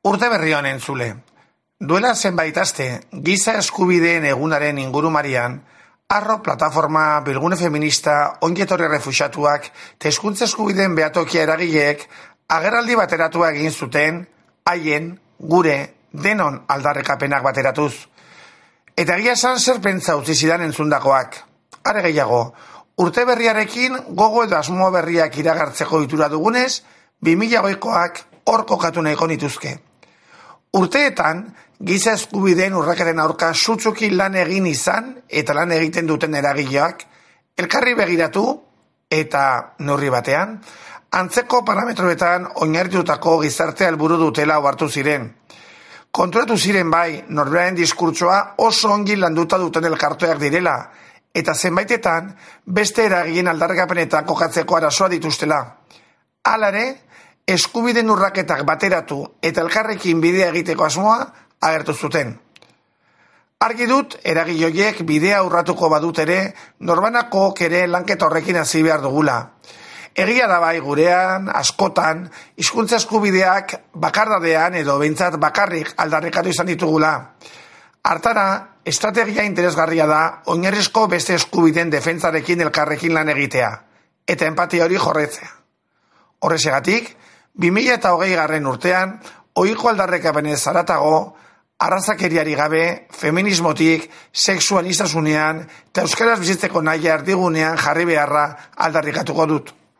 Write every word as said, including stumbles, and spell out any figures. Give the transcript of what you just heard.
Urte berri honen zule. Duela zenbait aste, giza eskubideen egunaren ingurumarian, Arro plataforma bilgune feminista ongetorri refuxatuak eta hezkuntza eskubideen behatokia eragileek agerraldi bateratua egin zuten, haien, gure, denon aldarrekapenak bateratuz. Eta egia esan zer pentsa utzi zidan entzundakoak. Are gehiago, urte berriarekin gogo edo asmo berriak iragartzeko itura dugunez, bi mila hogeikoak hor kokatu nahiko nituzke. Urteetan, giza eskubideen urraketen aurka sutsuki lan egin izan eta lan egiten duten eragileak, elkarri begiratu eta neurri batean, antzeko parametroetan oinarritutako gizartea helburu dutela ohartu ziren. Konturatu ziren bai, norberaren diskurtsoa oso ongi landuta duten elkarteak direla, eta zenbaitetan beste eragileen aldarrikapenetan kokatzeko arazoa dituztela. Halare, eskubideen urraketak bateratu eta elkarrekin bidea egiteko asmoa agertu zuten. Argi dut, eragile horiek bidea urratuko badut ere, norbanako ere lanketa horrekin hasi behar dugula. Egia da bai gurean, askotan, hizkuntza eskubideak bakardadean edo behintzat bakarrik aldarrikatu izan ditugula. Hartara, estrategia interesgarria da oinarrizko beste eskubideen defentsarekin elkarrekin lan egitea, eta empatia hori jorretzea. Horrezegatik, bi mila hogei garren urtean, ohiko aldarrekapenez haratago, arrazakeriari gabe, feminismotik, sexuanistasunean eta euskaraz bizitzeko nahia erdigunean jarri beharra aldarrikatuko dut.